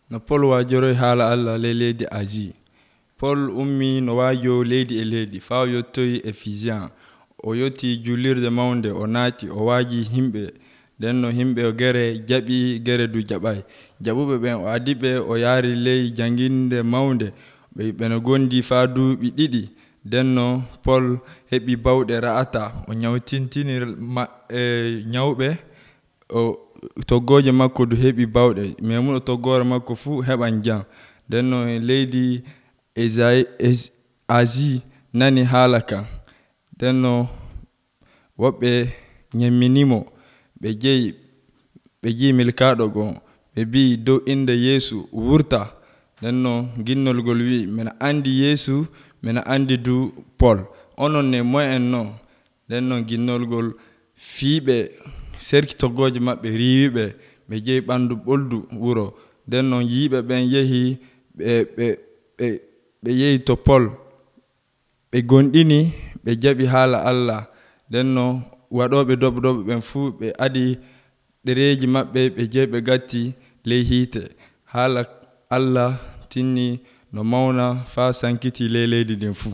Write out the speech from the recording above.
no Pol waajoroy haala Allah ley leydi Asie. Pol ummi no waajo leydi e leydi faa o yottoyi Efisiyan. O yotti juulirde mawnde, o naati, o waaji himɓe. Nden no himɓe gere jaɓi, gere du jaɓay. Jaɓuɓe ɓen o adiɓe, o yaari ley janginde mawnde. Ɓe gondi faa duuɓi 2. Nden no Pol heɓi bawɗe ra'ata. O nyawtintini nyawɓe. Toggooje makko du heɓi bawɗe. Memuno toggore makko fuu heɓan jam. Nden no leydi Asie nani haala kan. Nden no woɓɓe nyemminimo. Ɓe jeyi milkaaɗo gon. Ɓe mbii dow inde Yeesu wurta. Nden no ginnolgol wi'i mina andi Yeesu, mina andi du Pol. Onon ne moye en non? Nden no ginnolgol fiiɓe serki toggooje maɓɓe riiwiɓe. Ɓe jeyi ɓandu ɓoldu wuro. Nden no yiiɓe ɓen yehi ɓe yehi to Pol. Ɓe gonɗini, ɓe jaɓi haala Allah. Nden no waɗooɓe doɓɓe ɓen fuu ɓe adi ɗereeji maɓɓe, ɓe jeyi ɓe gatti ley hiite. Haala Allah tinni no mawna faa sankiti ley leydi ndin fuu.